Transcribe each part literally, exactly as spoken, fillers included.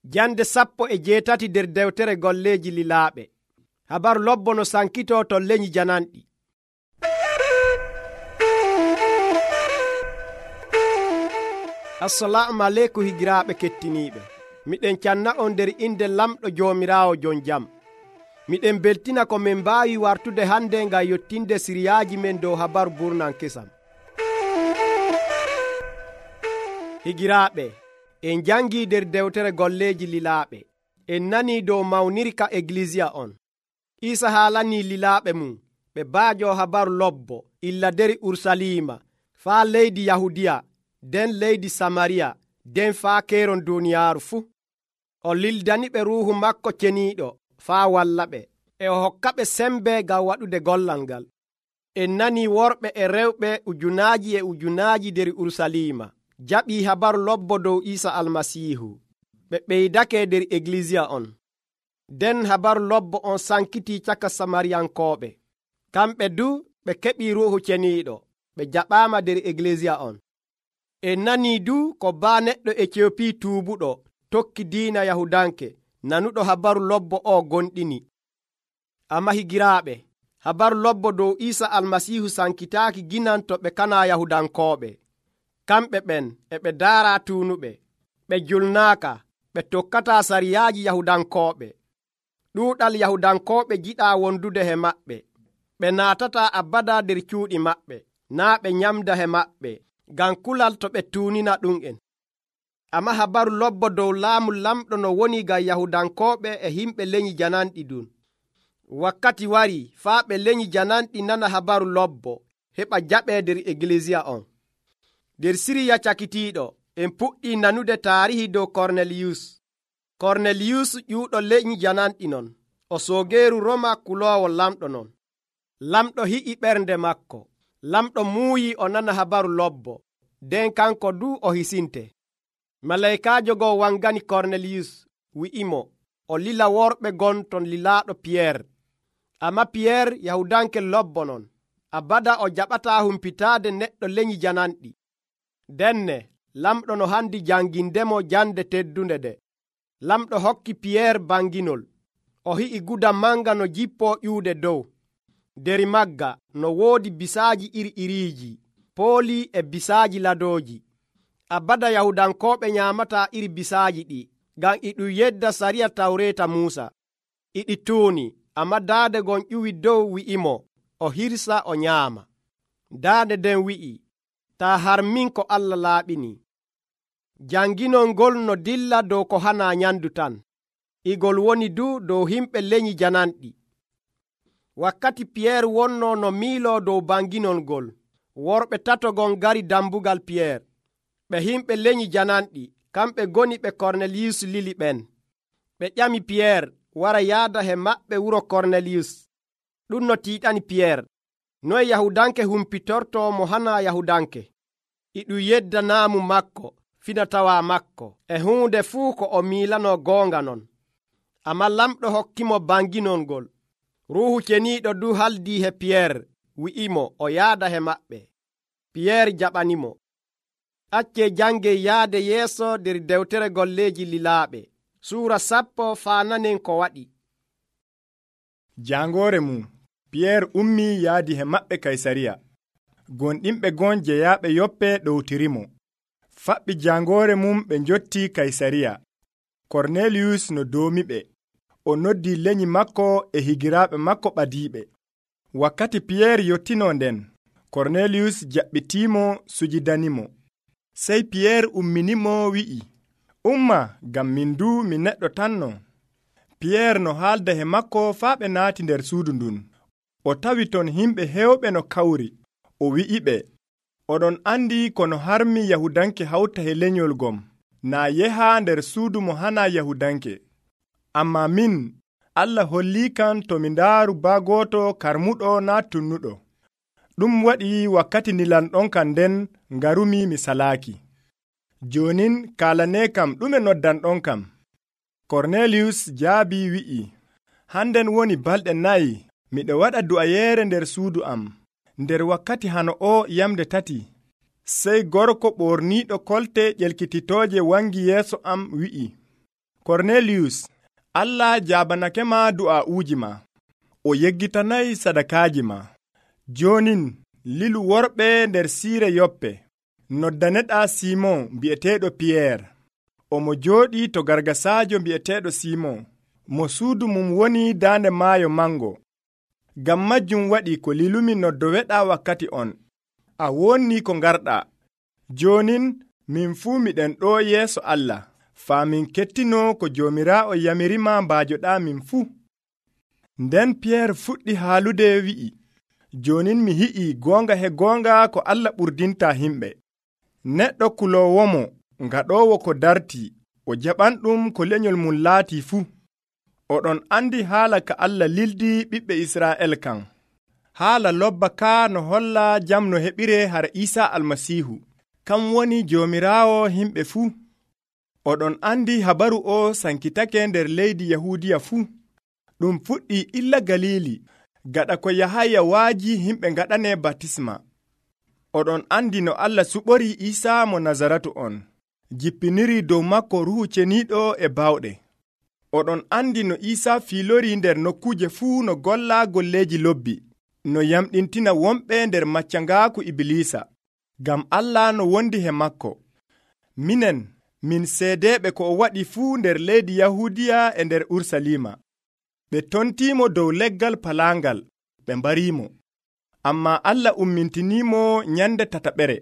Jande sappo e jeetati nder dewtere golleeji lilaaɓe. Habaru lobbo no sankitoo to leñi jananɗi. Assalamu aleykum higiraaɓe kettiniiɓe. Miɗen canna on nder inde lamɗo Joomiraawo jon jam. Miɗen beltina ko min mbaawi wartude hande ngam yottinde siriyaaji men dow habaru burnan kesam. Higiraaɓe, en jangii nder dewtere golleeji lilaaɓe. En nanii dow mawnirka eglisiya on. Iisa haalanii lilaaɓe mum ɓe baajo habaru lobbo illa deri Urusalima faa leydi Yahudiya, den leydi Samariya, den faa keeron duuniyaaru fuu. O lildani ɓe ruuhu makko ceniiɗo faa walla ɓe, e o hokka ɓe sembe ngam waɗude gollal ngal. En nanii worɓe e rewɓe ujunaaji e ujunaaji nder Urusalima jaɓii habaru lobbo dow Iisa Almasiihu. Ɓe ɓeydake nder eglisiya on. Den habaru lobbo on sankitii caka Samariyankooɓe. Kamɓe du ɓe keɓii ruuhu ceniiɗo, ɓe jaɓaama nder eglisiya on. En nanii du ko baa neɗɗo Eciyopii tuubuɗo tokki diina Yahudanke nanuɗo habaru lobbo o gonɗini. Amma higiraaɓe, habaru lobbo dow Iisa Almasiihu sankitaaki ginan to ɓe kanaa Yahudankooɓe. Kamɓe ɓen e ɓe daaraa tuunuɓe, ɓe julnaaka, ɓe tokkataa sariyaaji Yahudankooɓe. Ɗuuɗal Yahudankooɓe jiɗaa wondude he maɓɓe. Ɓe naatataa abada nder cuuɗi maɓɓe, naa ɓe nyamda he maɓɓe, ngam kulal to ɓe tuunina ɗum'en. Amma habaru lobbo dow laamu lamɗo no woni ngam Yahudankooɓe e himɓe leñi jananɗi ɗum. Wakkati warii faa ɓe leñi jananɗi nana habaru lobbo, heɓa jaɓee nder eglisiya on. Nder Siriya cakitiiɗo, en puɗɗii nanude taarihi dow Korneliyus. Korneliyus ƴuuɗo leñi jananɗi non, o soogeeru Roma kuloowo lamɗo non. Lamɗo hi'i ɓernde makko. Lamɗo muuyi o nana habaru lobbo, nden kanko du o hisinte. Malaykaajo goo wangani Korneliyus, wi'imo o lila worɓe gon ton lilaaɗo Piyeer. Amma Piyeer Yahudanke lobbo non, abada o jaɓataa humpitaade neɗɗo leñi jananɗi. Denne lamɗo no handi jangindemo jande teddunde de. Lamɗo hokki Piyeer banginol. O hi'i guda manga no jippoo ƴuude dow. Deri magga no woodi bisaaji iri iriiji, pooli e bisaaji ladooji. Abada Yahudankooɓe nyaamataa iri bisaaji ɗi, ngam iɗum yedda sariya Tawreeta Muusa. Iɗi tuuni, amma daade gon ƴuwi dow wi'imo o hirsa o nyaama. Daade den wi'i, taa harmin ko Allah laaɓini. Janginol ngol no dilla dow ko hanaa nyandu tan. Igol woni du dow himɓe leñi jananɗi. Wakkati Piyeer wonnoo no miiloo dow banginol ngol, worɓe tatogon ngari dambugal Piyeer. Ɓe himɓe leñi jananɗi, kamɓe goni ɓe Korneliyus lili ɓen. Ɓe ƴami Piyeer wara yaada he maɓɓe wuro Korneliyus. Ɗum no tiiɗani Piyeer. Noye Yahudanke humpitortoo mo hanaa Yahudanke? Iɗum yedda naamu makko, finatawaa makko, e huunde fuu ko o miilanoo goonga non. Amma lamɗo hokkimo banginol ngol. Ruuhu ceniiɗo du haldii he Piyeer, wi'imo o yaada he maɓɓe. Piyeer jaɓanimo. Accee jangee yaade yeeso nder dewtere golleeji lilaaɓe. Suura sappo faa nanen ko waɗi. Jangoore mum, Piyeer ummii yaadi he maɓɓe Kaysariya. Gonɗinɓe gon jeyaaɓe yoppe ɗowtirimo. Faɓɓi jangoore mum ɓe njottii Kaysariya. Korneliyus no doomiɓe. O noddii leñi makko e higiraaɓe makko ɓadiiɓe. Wakkati Piyeer yottinoo nden, Korneliyus jaɓɓitiimo sujidanimo. Sey Piyeer umminimo wi'i, umma ngam min du mi neɗɗo tanno. Piyeer no haalda he makko faa ɓe naati nder suudu ndun. O tawi ton himɓe heewɓe no kawri. O wi'iɓe, oɗon andi kono harmi Yahudanke hawta he lenyol gom, naa yehaa nder suudu mo hanaa Yahudanke. Amma min, Allah holliikan to mi ndaaru baa gooto karmuɗo naa tunnuɗo. Ɗum waɗi wakkati nilanɗon kan nden ngarumi mi salaaki. Jonin kaalanee kam ɗume noddanɗon kam? Korneliyus jaabii wi'i, hannden woni balɗe nayi miɗo waɗa du'ayeere nder suudu am. Nder wakkati hano o yamde tati, sey gorko ɓorniiɗo kolte ƴelkititooje wangi yeeso am wi'i, Korneliyus, Allah jaabanake ma du'a'uuji ma. O yeggitanay sadakaaji ma. Jonin lilu worɓe nder siire Yoppe. Noddaneɗaa Simon bi'eteeɗo Piyeer. Omo jooɗii to gargasaajo bi'eteeɗo Simon, mo suudu mum woni daande maayo mango. Ngam majjum waɗi ko lilumi noddoweɗaa wakkati on. A wonnii ko ngarɗaa. Jonin min fuu miɗen ɗo yeeso Allah, faa min kettino ko Joomiraawo yamirima mbaajoɗaa min fuu. Nden Piyeer fuɗɗi haalude wi'i, jonin mi hi'ii goonga he goonga ko Allah ɓurdinta himɓe. Neɗɗo kuloowomo ngaɗoowo ko dartii, o jaɓanɗum ko lenyol mum laatii fuu. Oɗon andi haala ka Allah lildi ɓiɓɓe Israa'el kan. Haala lobba ka no holla jam no heɓire har Iisaa Almasiihu, kam woni Joomiraawo himɓe fuu. Oɗon andi habaru o sankitake nder leydi Yahuudiya fuu. Ɗum fuɗɗi illa Galili, gaɗa ko Yahaya waaji himɓe ngaɗane batisma. Oɗon andi no Allah suɓori Iisaa mo Nazaratu on, jippiniri dow makko Ruuhu Ceniiɗo e bawɗe. Oɗon andi no Iisaa fiilori nder nokkuje fuu no golla golleeji lobbi, no yamɗintina wonɓe nder maccangaaku Ibilisa, ngam Allah no wondi he makko. Minen, min seedeeɓe ko o waɗi fuu nder leydi Yahuudiya e nder Urusalima. Ɓe tontiimo dow leggal palaangal, ɓe mbariimo. Ammaa Allah ummintiniimo nyande tataɓere,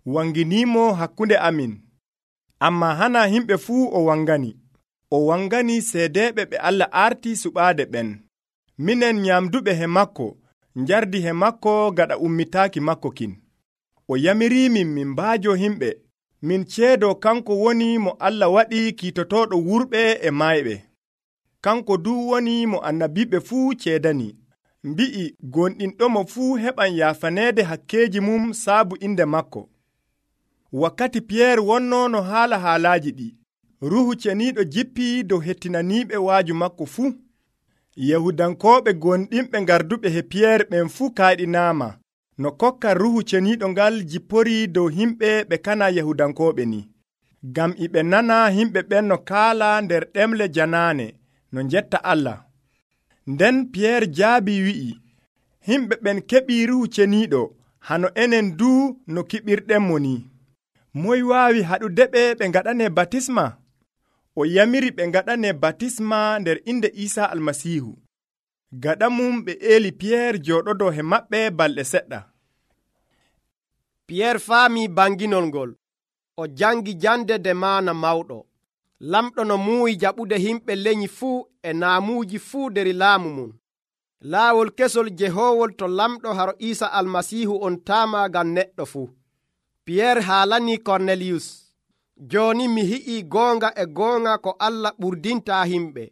wanginiimo hakkunde amin. Ammaa hana himɓe fuu o wangani. O wangani seedeeɓe ɓe Allah arti suɓaade ɓen. Minen nyamduɓe he makko, njardi he makko gaɗa ummitaaki makko kin. O yamiriimin min mbaajo himɓe, min ceedo kanko woni mo Allah waɗi kiitotooɗo wurɓe e mayɓe. Kanko du woni mo annabiɓe fuu ceedani. Mbi'i gonɗinɗomo fuu heɓan yaafaneede hakkeeji mum saabu inde makko. Wakkati Piyeer wonno no haala haalaaji ɗi, Ruuhu Ceniiɗo jippii dow hettinaniiɓe waaju makko fuu. Yahudankooɓe gonɗinɓe ngarduɓe he Piyeer ɓen fuu kaaɗinaama, no kokka Ruuhu Ceniiɗo ngal jippori dow himɓe ɓe kana Yahudankooɓe ni. Ngam e ɓe nana himɓe ɓen no kaala nder ɗemle janaane, no njetta Allah. Nden Piyeer jaabi wi'i, himɓe ɓen keɓii Ruuhu Ceniiɗo hano enen duu no kiɓirɗenmo ni. Moy waawi haɗudeɓe ɓe ngaɗane batisma? O yamiri ɓe ngaɗane batisma nder inde Iisaa Almasiihu. Gaɗa mum ɓe eeli Piyeer jooɗodo he maɓɓe balɗe seɗɗa. Piyeer faami banginol ngol. O jangi jande de maana mawɗo. Lamɗo no muuyi jaɓude himɓe lenyi fuu e naamuuji fuu nder laamu mum. Laawol kesol jehoowol to lamɗo haro Iisaa Almasiihu on taama ngam neɗɗo fuu. Piyeer haalani Korneliyus, jooni mi hi'ii goonga e goonga ko Allah ɓurdinta himɓe.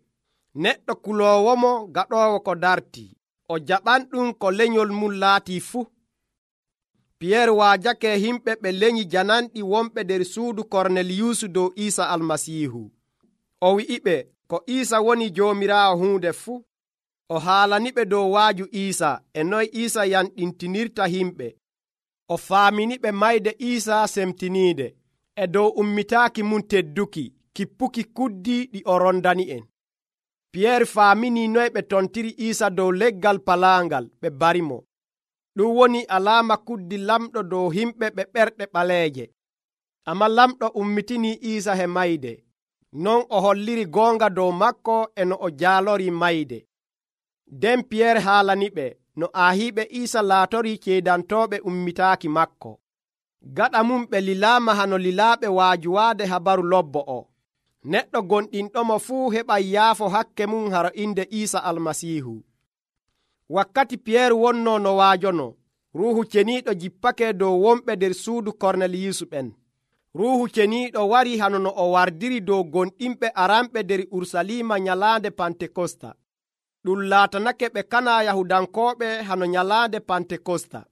Neɗɗo kuloowomo gaɗoowo ko dartii, o jaɓanɗum ko lenyol mum laatii fuu. Piyeer waajake himɓe ɓe lenyi jananɗi wonɓe nder suudu Korneliyus dow Iisaa Almasiihu. O wi'iɓe ko Iisaa woni Joomiraawo huunde fuu. O haalaniɓe dow waaju Iisaa e noy Iisaa yanɗintinirta himɓe. O faaminiɓe mayde Iisaa semtiniide e dow ummitaaki mum tedduki, kippuki kuddi ɗi o rondani en. Piyeer faamini noy ɓe tontiri Iisaa dow leggal palaangal ɓe barimo. Ɗum woni alaama kuddi lamɗo dow himɓe ɓe ɓerɗe ɓaleeje. Ammaa lamɗo ummitini Iisaa he mayde. Non o holliri goonga dow makko e no o jaalori mayde. Nden Piyeer haalaniɓe no aahiiɓe Iisaa laatori ceedantooɓe ummitaaki makko. Gaɗa mum ɓe lilaama hano lilaaɓe waajuwaade habaru lobbo o. Neɗɗo gonɗinɗomo fuu heɓay yaafo hakke mum haro inde Iisaa Almasiihu. Wakkati Piyeer wonno no waajono, Ruuhu Ceniiɗo jippake dow wonɓe nder suudu Korneliyus ɓen. Ruuhu Ceniiɗo wari hano no o wardiri dow gonɗinɓe aranɓe nder Urusalima nyalaande Pantekosta. Ɗum laatanake ɓe kana Yahudankooɓe hano nyalaande Pantekosta.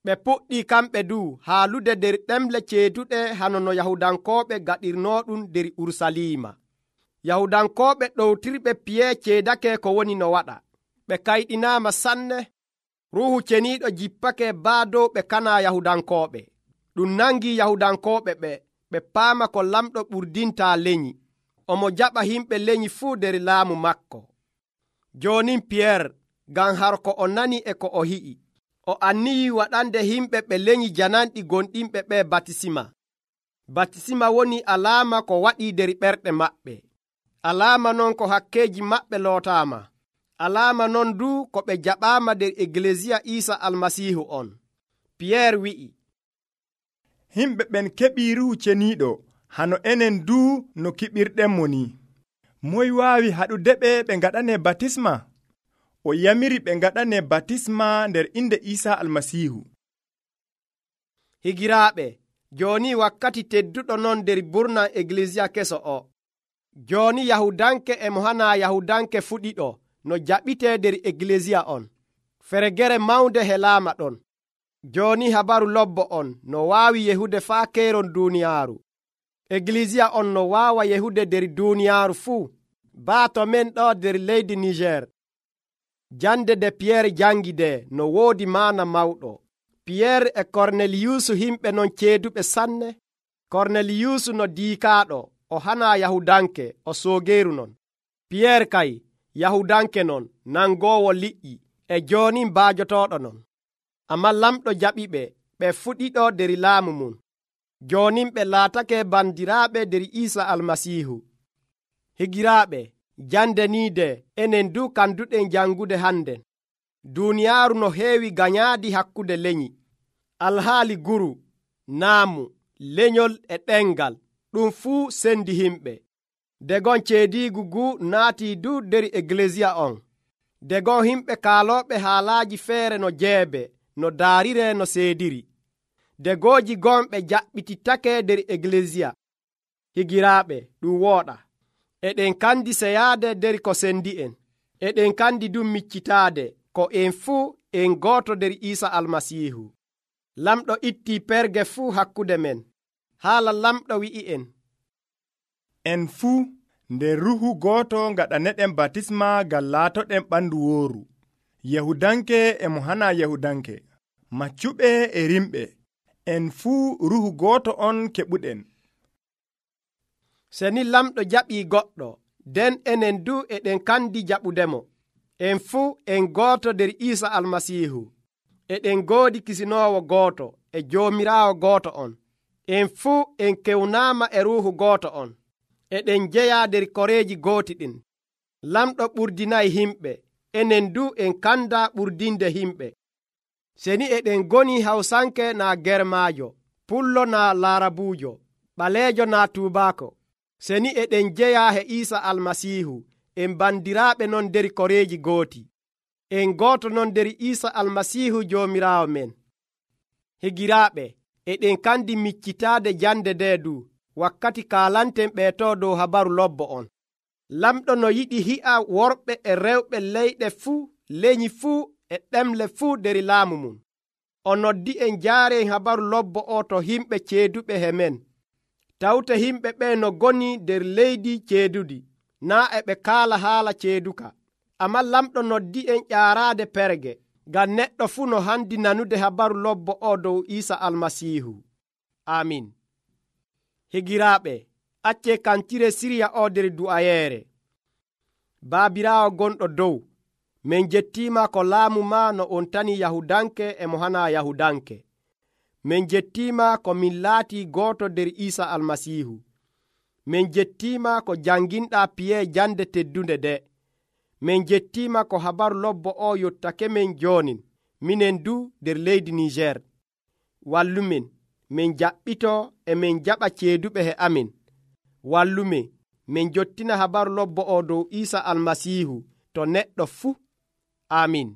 Ɓe puɗɗii kamɓe du haalude nder ɗemle ceeduɗe hano no Yahudankooɓe gaɗirnooɗum nder Urusalima. Yahudankooɓe ɗowtirɓe Piyeer ceedake ko woni no waɗa. Ɓe kayɗinaama sanne. Ruuhu Ceniiɗo jippake baa dow ɓe kana Yahudankooɓe. Ɗum nangi Yahudankooɓe ɓe ɓe paama ko lamɗo ɓurdinta lenyi. omo jaɓa himɓe lenyi fuu nder laamu makko. Jonin Piyeer, ngam harko o nani e ko o hi'i, o anniyi waɗande himɓe ɓe lenyi jananɗi gonɗinɓe ɓe batisima. Batisima woni alaama ko waɗi nder ɓerɗe maɓɓe. Alaama non ko hakkeeji maɓɓe lootaama. Alaama non du ko ɓe jaɓaama nder Eglesiya Iisa Almasiihu on. Piyeer wi'i, himɓe ɓen keɓii Ruhu Ceniiɗo hano enen du no kiɓirɗenmo ni. Moy waawi haɗudeɓe ɓe ngaɗane batisma? O yamiri ɓe ngaɗane batisma nder inde Iisa Almasiihu. Higiraaɓe, jooni wakkati tedduɗo non nder burnan Eglesiya keso o. Jooni Yahudanke e mo hana Yahudanke fuɗiɗo no jaɓitee nder Eglesiya on. Feregere mawnde helaama ɗon. Jooni habaru lobbo on no waawi yehude faa keeron duuniyaaru. Eglesiya on no waawa yehude nder duuniyaaru fuu, baato men ɗo nder leydi Niger. Jande de Piyeer jangi de no woodi maana mawɗo. Piyeer e Korneliyusu himɓe non ceeduɓe sanne. Korneliyusu no diikaaɗo, o hana Yahudanke, o soogeeru non. Piyeer kay Yahudanke non, nangoowo liƴƴi, e jooni mbaajotooɗo non. Ammaa lamɗo jaɓiɓe, ɓe fuɗiɗo nder laamu mum. Joonin ɓe laatake bandiraaɓe nder Iisa Almasiihu. Higiraaɓe, jande ni de enen du kanduɗen jangude hannden. Duuniyaaru no heewi ganyaadi hakkude lenyi. Alhaali guru, naamu, lenyol e ɗengal, ɗum fuu sendi himɓe. Degon ceediigu guu naatii du nder Eglesiya on. Degon himɓe kaalooɓe haalaaji feere no jeebe, no daarire no seediri. Degooji gonɓe jaɓɓitittake nder Eglesiya. Higiraaɓe, ɗum wooɗa. Eɗen kandi seyaade nder ko sendi en. Eɗen kandi du miccitaade ko en fuu en gooto nder Iisa Almasiihu. Lamɗo ittii perge fuu hakkude men. Haala lamɗo wi'i en, en fuu nder ruhu gooto ngaɗaneɗen batisma ngam laatoɗen ɓandu wooru. Yahudanke e mo hana Yahudanke, maccuɓe e rimɓe, en fuu ruhu gooto on keɓuɗen. Seni lamɗo jaɓii goɗɗo, nden enen du eɗen kandi jaɓudemo. En fuu en gooto nder Iisa Almasiihu. Eɗen goodi kisinoowo gooto e Joomiraawo gooto on. En fuu en kewnaama e ruuhu gooto on. Eɗen jeyaa nder koreeji gooti ɗin. Lamɗo ɓurdinayi himɓe, enen du en kanda ɓurdinde himɓe. Seni eɗen goni Hawsanke naa Germaajo, Pullo naa Laarabuujo, ɓaleejo naa tuubaako. Seni eɗen jeyaa he Iisa Almasiihu, en bandiraaɓe non nder koreeji gooti. En gooto non nder Iisa Almasiihu Joomiraawo men. Higiraaɓe, eɗen kandi miccitaade jande nde du, wakkati kaalanten ɓeeto dow habaru lobbo on. Lamɗo no yiɗi hi'a worɓe e rewɓe leyɗe fuu, lenyi fuu e ɗemle fuu nder laamu mum. O noddi en jaaren habaru lobbo o to himɓe ceeduɓe he men. Tawte himɓe ɓe no goni nder leydi ceedudi, naa e ɓe kaala haala ceeduka. Ammaa lamɗo noddi en ƴaaraade perge, ngam neɗɗo fuu no handi nanude habaru lobbo o dow Iisa Almasiihu. Amin. Higiraaɓe, acce kantire siriya o nder du'ayeere. Baabiraawo gonɗo dow, min jettiima ko laamu ma no on tani Yahudanke e mo hana Yahudanke. Min jettiima ko min laatii gooto nder Iisa Almasiihu. Min jettiima ko janginɗaa piye jande teddunde de. Min jettiima ko habaru lobbo o yottake men joonin, minen du nder leydi Niger. Wallumin, min jaɓɓito e min jaɓa ceeduɓe he amin. Wallumin, min jottina habaru lobbo o dow Iisa Almasiihu to neɗɗo fuu. Amin.